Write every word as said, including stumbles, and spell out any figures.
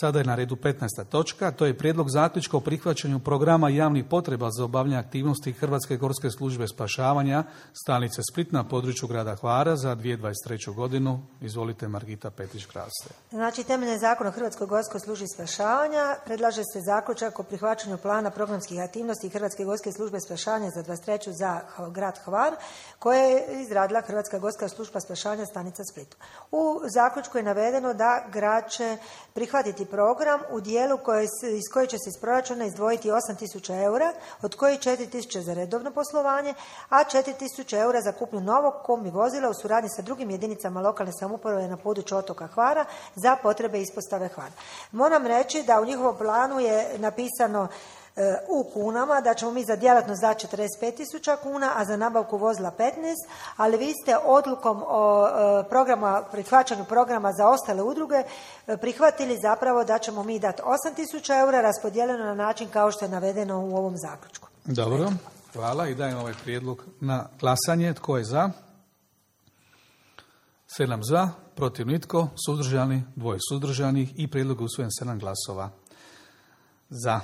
Sada je na redu petnaesta točka, to je prijedlog zaključka o prihvaćanju programa javnih potreba za obavljanje aktivnosti Hrvatske gorske službe spašavanja stanice Split na području grada Hvara za dvije tisuće dvadeset treću godinu. Izvolite, Margita Petić-Krase. Znači, temeljem Zakona o Hrvatskoj gorskoj službi spašavanja predlaže se zaključak o prihvaćanju plana programskih aktivnosti Hrvatske gorske službe spašavanja za dvadeset treću za grad Hvar, koje je izradila Hrvatska gorska služba spašavanja stanica Split. U zaključku je navedeno da grad će prihvatiti program u dijelu koje, iz koje će se iz proračuna izdvojiti osam tisuća eura, od kojih četiri tisuće za redovno poslovanje, a četiri tisuće eura za kupnju novog kombi vozila u suradnji sa drugim jedinicama lokalne samouprave na području otoka Hvara za potrebe ispostave Hvar. Moram reći da u njihovom planu je napisano u kunama, da ćemo mi za djelatnost dati četrdeset pet tisuća kuna, a za nabavku vozila petnaest, ali vi ste odlukom o programa, prihvaćanju programa za ostale udruge prihvatili zapravo da ćemo mi dati osam tisuća eura raspodijeljeno na način kao što je navedeno u ovom zaključku. Dobro, hvala i dajem ovaj prijedlog na glasanje. Tko je za? sedam za, protiv nitko, suzdržani, dvoje suzdržanih i prijedlog je usvojen sedam glasova za.